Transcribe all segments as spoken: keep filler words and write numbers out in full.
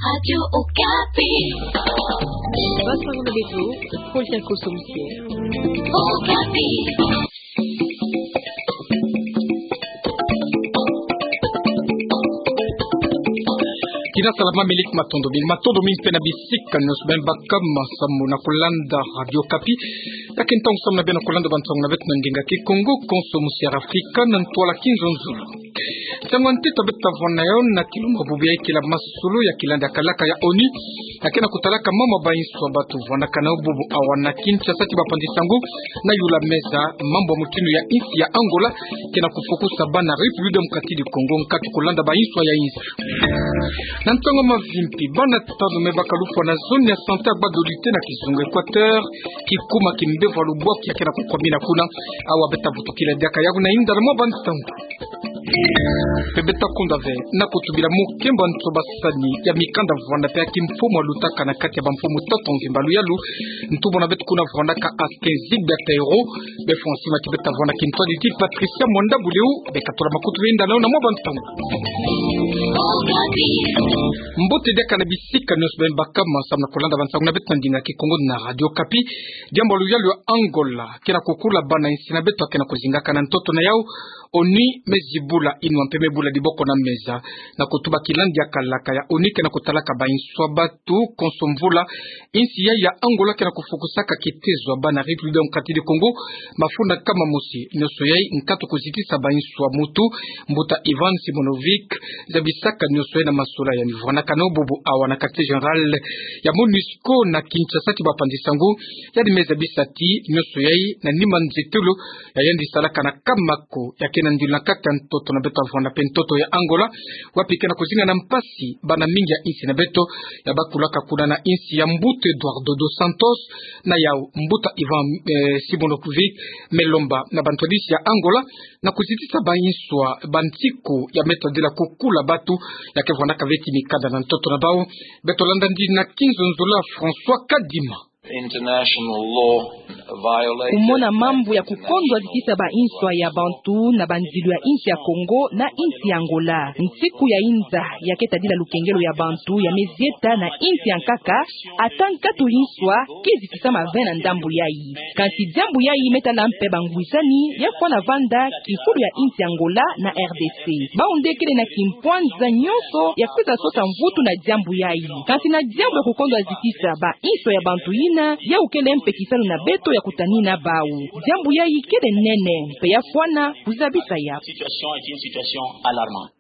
Radio Okapi. Basa ngolo beto, Paul Tiako Somsie. Okapi. Kina salama milik matondo, mil matondo mimpe na bisika nyonso beno baka masamu na kolanda Radio Okapi. Ya ke ntangu samu na beno na kolanda bansango na beto na ndinga Kikongo, konso musi ya Afrika, na ntwala Kinzonzolo. Nsangu ya ntete beto ta vwanda na yo na kilumbu bubu ya ikila masolo ya kila ndiakalaka ya ONU, ya ke na kutalaka mambu ya bainso ya batu vwandaka na yo bubu awa na Kinshasa ti bapanzi sango na yula meza, mambu ya mutinu ya insi ya Angola ke na kufukusa bana République Démocratique du Congo nkatu kolanda bainso ya insi. Na ntangu ya mavimpi, bana tanu me baka lufwa na zone ya santé ya Gbadolite na kizunga Équateur, kikuma ki mbevo ya lubwaki ya ke na kukwamina kuna. Awa beto ta vutukila diaka yaku na inda na mwa bansango. Mpe beto ta kunda ve na kutubila mukembo nto basani ya mikanda vwanda mpe ya kimfumu alutaka na kati ya bamfumu tatu mvimba luyalu. Ntu mona beto kuna vwandaka Askin Zigbert Ayero, be François Mati beto ta vwanda kintwadi ti Patricia Mwanda Buleu, be katola makutu benda na yo na mwa bansango. Mbote diaka na bisika nyonso beno baka masamu na kolanda bansango na beto na ndinga Kikongo na Radio Okapi. Diambu ya luyalu ya Angola ke na kukula bana insi na beto ya ke na kuzingaka na ntoto na yau. ONU me zibula inwa mpe me bula diboko na meza na kutuba kila ndiakalaka ya ONU ke na kutalaka bainso ya batu konso mvula. Insi yai ya Angola ke na kufukusaka kitezo ya bana République Démocratique du Congo mafunda nkama mosi. Nyonso yai nkatu kuzitisa bainso ya mutu. Mbuta Ivan Simonovic zabisaka nyonso yai na masolo ya mi vwandaka na yo bubu awa na quartier général ya MONUSCO na Kinshasa ti bapanzi sango. Yandi me zabisa ti nyonso yai na nima nzietolo ya yandi salaka na nkama ko ya ke na ndilo na kati ya ntoto na beto ya vwanda mpe ntoto ya Angola, wapi ke na kuzinga na mpasi bana mingi ya insi na beto ya bakulaka kuna na insi ya mbuta Eduardo dos Santos. Na yau mbuta Ivan, eh, Simonovic me lomba na bantwadisi ya Angola na kuzitisa bainso ya bansiku ya me tadila kukula batu ya ke vwandaka ve ti mikanda na ntoto na bau. Beto landa ndinga Kinzonzolo ya François Kadima. International law violated. Kumona mambu ya kukondwa zitisa bainso ya bantu na banzilo ya insi ya Congo na insi ya Angola. Nsiku ya inza ya ke tadila lukengelo ya bantu ya me zieta na insi ya nkaka, ata nkatu inso ke zitisama ve na ndambu yai. Kansi diambu yai me tala mpe bangwisani ya fwana vanda kifulu ya insi ya Angola na R D C. Bau nde kele na kimpwanza nyonso ya kwiza sosa mvutu na diambu yai. Kansi na diambu ya kukondwa zitisa bainso ya bantu yina, yau kele mpe kisalu na beto ya kutanina bau. Diambu yai kele nene, mpe ya fwana kuzabisa ya. Situation est une situation alarmante.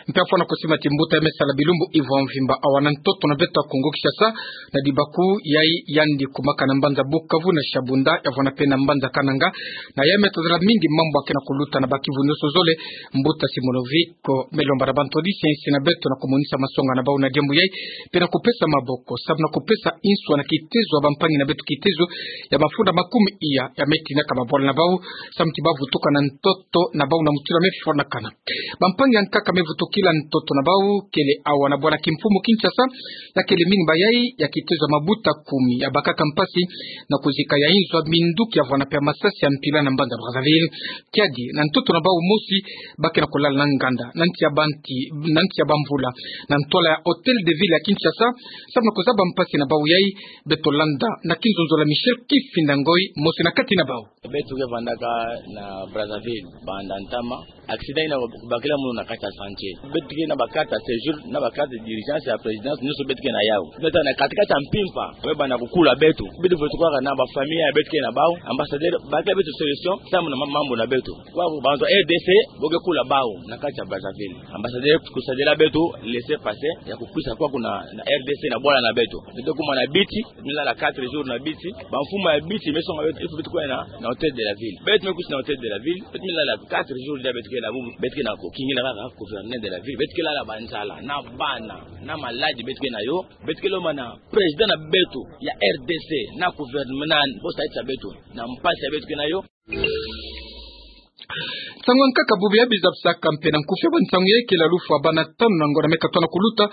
Mpe ya fwana kusima ti mbuta ya me sala bilumbu iva mvimba awa na ntoto na beto ya Kongo Kinshasa, na dibaku yai yandi kumaka na mbanza Bukavu na Shabunda, ya vwanda mpe na mbanza Kananga. Na yai me tazala mingi mambu ya ke na kuluta na bakivu nyonso zole. Mbuta Simonovic me lomba na bantwadisi ya insi na beto na kumonisa masonga na bau na diambu yai, mpe na kupesa maboko samu na kupesa inswa na kitezo ya bampangi na beto, kitezo ya mafunda makumi iya ya me tinaka mabwala na bau, samu ti ba vutuka na ntoto na bau na mutula me fwanakana. Bampangi ya nkaka me vutukila ntoto na bau kele awa na bwala kimfumu Kinshasa, ya kele mingi bayai ya kitezo ya mabuta kumi ya bakaka mpasi na kuzika ya inzo ya minduki ya vwanda mpe ya masasi ya mpila na mbanza Brazzaville. Kiadi na ntoto na bau mosi ba ke na kulala na nganda na nti ya banti, na nti ya bamvula, na ntwala ya Hôtel de Ville ya Kinshasa, samu na kuzaba mpasi na bau yai. Beto landa na Kinzonzolo ya Michel Kifinda Ngoi, mosi na kati na bau. Beto ke vandaka na Brazzaville banda ntama, accident yina kubakila munu na kati ya chantier. Beto ke na ba carte ya séjour, na ba carte d'urgence ya présidence, nyonso beto ke na yau. Beto na kati kati ya mpimpa, we banda kukula beto. Beto vutuka kaka na ba famille ya beto ke na bau, ambassadeur, bakila beto solution samu na ma-, mambu na beto. Kwa bantu R D C, bo ke kula bau na kati ya Brazzaville. Ambassadeur kusadila beto laissez-passer ya kukwisa kwaku na, na R D C na bwala na beto. Beto kuma na Biti, beto me lala quatre jours na Biti. Bamfumu ya Biti me songa beto, il faut beto kwenda na, na Hôtel de la Ville. Beto me kwisa na Hôtel de la Ville, beto me lala quatre jours, dia beto ke na bubu, beto ke na kukingila kaka gouverneur de la ville. Beto ke lala banzala, na bana, na maladi beto ke na yo. Beto ke lomba na président na beto ya R D C, na gouvernement, bo saisa beto na mpasi ya beto ke na yo. Nsangu ya nkaka bubu ya bibisa bisaka mpe na nkufi ya bansangu ya ikele lufwa bana tanu na ngonda me katona kuluta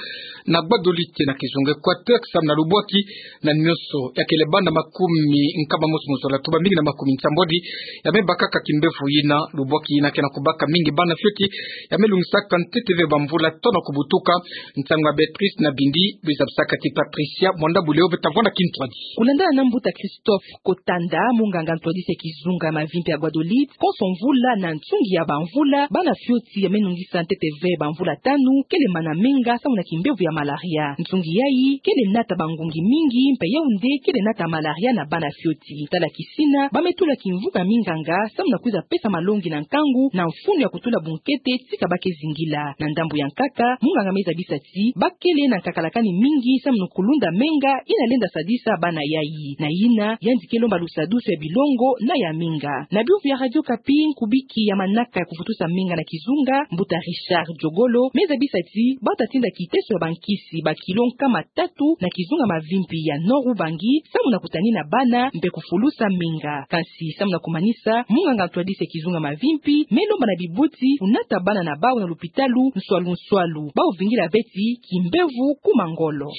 na Gbadolite na kizunga Equateur, samu na lubwaki na nioso ya kele bana makumi nkama mosi mu zola, tubambingi na makumi nsambwadi ya me bakaka kimbevo yina. Lubwaki yina ke na kubaka mingi bana fioti ya me lungisaka ntete ve bamvula tanu kubutuka. Nsangu ya Beatrice Nabindi, bibisa bisaka ti Patricia Mwanda Buleo, beto ta vwanda kintwadi. Kulandana na mbuta Christophe Kotanda, munganga ntwadisi ya kizunga ya mavimpi ya Guadeloupe, konso mvula na nsungi ya bamvula, bana fioti ya me nungisa ntete ve bamvula tanu kele mana menga samu na kimbevo ya malaria. Nsungi yayi kele nata bangungi mingi, mpe yau nde kele nata malaria na bana fioti. Tala kisina, ba me tula kimvuka minganga samu na kwiza pesa malongi na nkangu na mfunu ya kutula bunkete tika ba ke zingila. Na ndambu ya nkaka, munganga me zabisa ti ba kele na nkakalakani mingi samu na kulunda menga yina lenda sadisa bana yayi. Na yina, yandi ke lomba lusadusu ya bilongo na ya minga. Na biyumvu ya Radio Okapi, nkubiki ya manaka ya kuvutusa menga na kizunga, mbuta Richard Diogolo, me zabisa ti bata tinda kiteso ya bankisi ba kilo nkama tatu na kizunga mavimpi ya Nord-Ubangi, samu na kutanina bana mpe kufulusa menga. Kansi samu na kumanisa, munganga ntwadisi ya kizunga mavimpi me lomba na bibuti kunata bana na bau na lupitalu nswalu nswalu, bau vingila ve ti kimbevo kuma ngolo.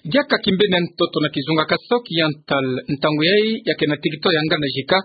Diaka kimbeni ya ntoto na kizunga Kasaï Oriental, ntangu yayi ya ke na territoire ya Ngandajika,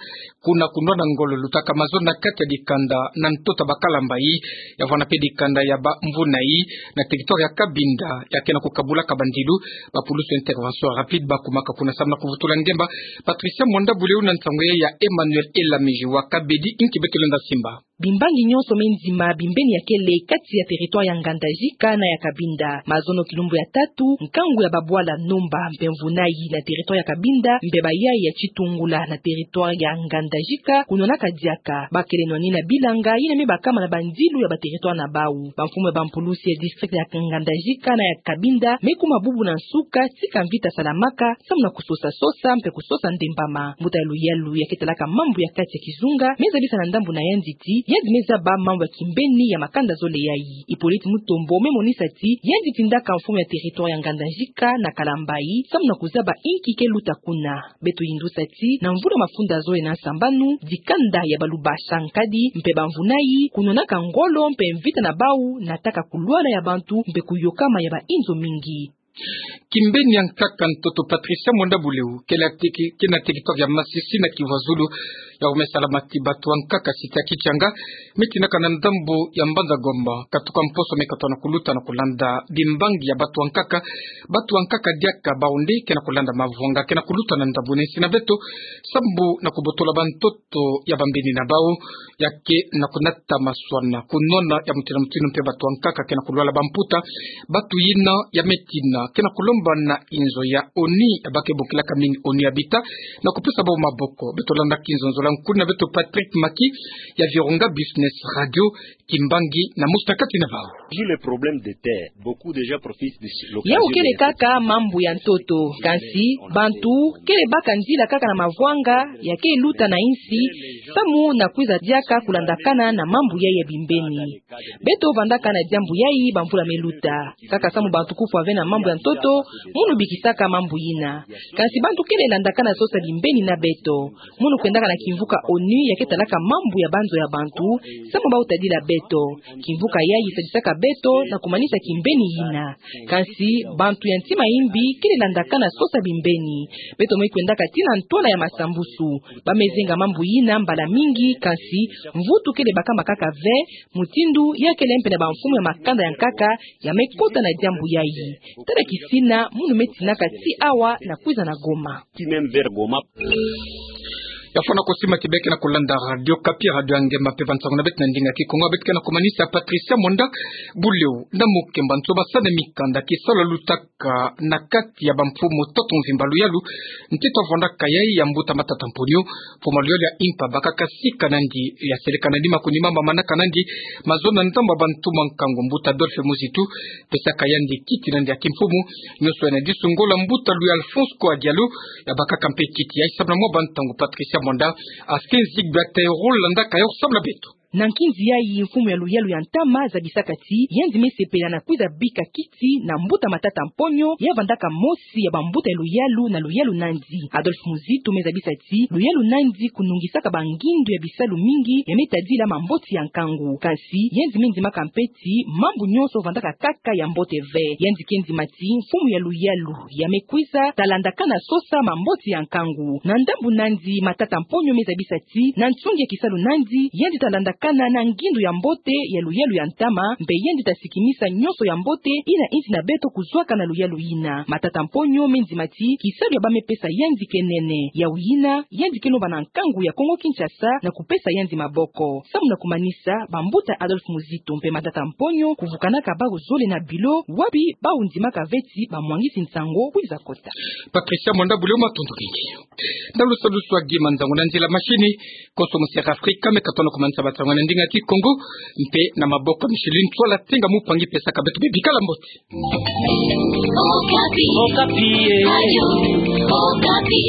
kuna kunwana ngolo lutaka mazono na kati ya dikanda na ntoto ya bakala mbayi, ya vwanda mpe dikanda ya bamvunai, na territoire ya Cabinda, ya ke na kukabulaka bandilu. Bapulusu ya intervention rapide bakumaka kuna samu na kuvutula ngemba. Patricia Mwanda Buleo na nsangu yayi ya Emmanuel Elamiji wa Kabedi, inki beto lenda simba. Bimbangi nyonso me ndima bimbeni ya kele kati ya territoire ya Ngandajika na ya Cabinda. Mazono kilumbu ya tatu, nkangu ya babwala Nomba mpe mvunai na territoire ya Cabinda, mpe bayayi ya Tshitungula na territoire ya Ngandajika, kunwanaka diaka. Ba kele nwanina bilanga yina me bakama na bandilu ya ba territoire na bau. Bamfumu ya bampulusi ya district ya Ngandajika na ya Cabinda me kuma bubu na nsuka tika mvita salamaka, samu na kusosa sosa mpe kusosa ndembama. Mbuta ya luyalu ya ke talaka mambu ya kati ya kizunga me zabisa na ndambu na yandi ti yandi me zaba mambu ya kimbeni ya makanda zole yayi. Hippolyte Mutombo me monisa ti yandi tindaka mfumu ya territoire ya Ngandajika na kala mbayi samu na kuzaba inki ke luta kuna. Beto yindusa ti na mvula mafunda zole na nsambanu, dikanda ya baluba Sankadi mpe bamvunai kunwanaka ngolo mpe mvita na bau nataka kulwala ya bantu mpe kuyokama ya bainzo mingi. Kimbeni ya nkaka ntoto Patricia Mwanda Buleo, ke na teki-, ke na territoire ya Masisi na Kivu ya Zulu, ya me salama ti batu ya nkaka site ya Kichanga, me tinaka na ndambu ya Mbanza Gomba, katuka mposo me katona kuluta na kulanda bimbangi ya batu ya nkaka. Batu ya nkaka diaka bau nde ke na kulanda mavwanga ke na kuluta na ndambu nsi na beto, sambu na kubotola bantoto ya bambeni na bau, ya ke na kunata maswana, kunwana ya mutindu na mutindu mpe batu ya nkaka ke na kulwala bamputa. Batu yina ya me tina ke na kulomba na inzo ya ONU, ya ba ke bokilaka mini ONU Habitat, na kupesa bau maboko. Beto landa kinzonzo la nkuni na beto Patrick Maki ya Virunga Business Radio, kimbangi na musta kati na bau. Vu le problème de terre, beaucoup de gens profitent de l'occasion. Yau kele kaka mambu ya ntoto, kansi bantu kele baka nzila kaka na mavwanga ya ke luta na insi, samu na kwiza diaka kulandakana na mambu yayi ya bimbeni. Beto vandaka na diambu yayi bamvula me luta. Kaka samu bantu kufwa ve na mambu ya ntoto, munu bikisaka mambu yina. Kansi bantu kele landakana sosa bimbeni na beto. Munu kwendaka na kimvuka ONU ya ke talaka mambu ya banzo ya bantu, samu bau tadila beto. Kimvuka yayi sadisaka beto na kumanisa kimbeni yina. Kansi bantu ya ntima yimbi kele landakana sosa bimbeni. Beto me kwendaka tii na ntwala ya masambusu. Ba me zenga mambu yina mbala mingi, kansi mvutu kele bakama kaka ve, mutindu ya kele mpe na bamfumu ya makanda ya nkaka ya me kota na diambu yayi. Tala kisina munu me tinaka tii awa na kwiza na Goma. Ti même vers Goma. Ya fwana ko sima ti beno ke na kulanda Radio Okapi, radio ya ngemba mpe bansangu na beto na ndinga ya Kikongo. Beto ke na kumanisa Patricia Mwanda Buleo na mukemba nso basane mikanda, kisalu ya lutaka na kati ya bamfumu ntoto mvimba luyalu. Ntete ya vwandaka yayi ya mbuta Matata Mponyo, mfumu luyalu ya Impa, bakaka sika nandi ya seleka nandi makunima ma manaka nandi mazono na ndambu ya bantu ma nkangu, mbuta Adolphe Muzitu, pesaka yandi kiti nandi ya kimfumu. Nioso yina disu ngolo mbuta Louis Alphonse Koa Diallo ya bakaka mpe kiti yayi samu na mwa bantangu Patricia Mwanda, askin zigbe ata rôle landaka yo samu na beto. Na nkinzi yayi, mfumu ya luyalu ya ntama zabisaka ti yandi mesepela na kwiza bika kiti na mbuta Matata Mponyo, ya vandaka mosi ya bambuta ya luyalu na luyalu nandi. Adolphe Muzitu mezabisa ti luyalu nandi kunungisaka bangindu ya bisalu mingi ya metadila mamboti ya nkangu. Kansi yandi mendimaka mpe ti mambu nyonso vandaka kaka ya mbote ve. Yandi ke ndima ti mfumu ya luyalu ya mekwiza talandakana sosa mamboti ya nkangu. Na ndambu nandi, Matata Mponyo mezabisa ti na nsungi ya kisalu nandi, yandi talandakana na ngindu ya mbote ya luyalu ya ntama, mpe yandi tasikimisa nyonso ya mbote ina indi na beto kuzwaka na luyalu ina. Matata Mponyo mendima ti kisalu ya bamepesa yandi ke nene. Yawu ina, yandi ke lomba na nkangu ya Kongo Kinshasa na kupesa yandi maboko. Samu na kumanisa, bambuta Adolphe Muzitu mpe Matata Mponyo kuvukanaka bawu zole na bilo, wapi bawu ndimaka ve ti bamwangisi nsangu kwiza kota. Patricia Mwanda Buleo, matondo mingi. Na lusalusu wa gi manzangu na nzila mashini, konso musi ya Afrika meka tona kumanisa bansangu na ndinga Kikongo, mpe na maboko Micheline Tswala Tenga, mupangi, pesaka beto bebikala mbote. Okapi. Okapi, eh. Radio Okapi.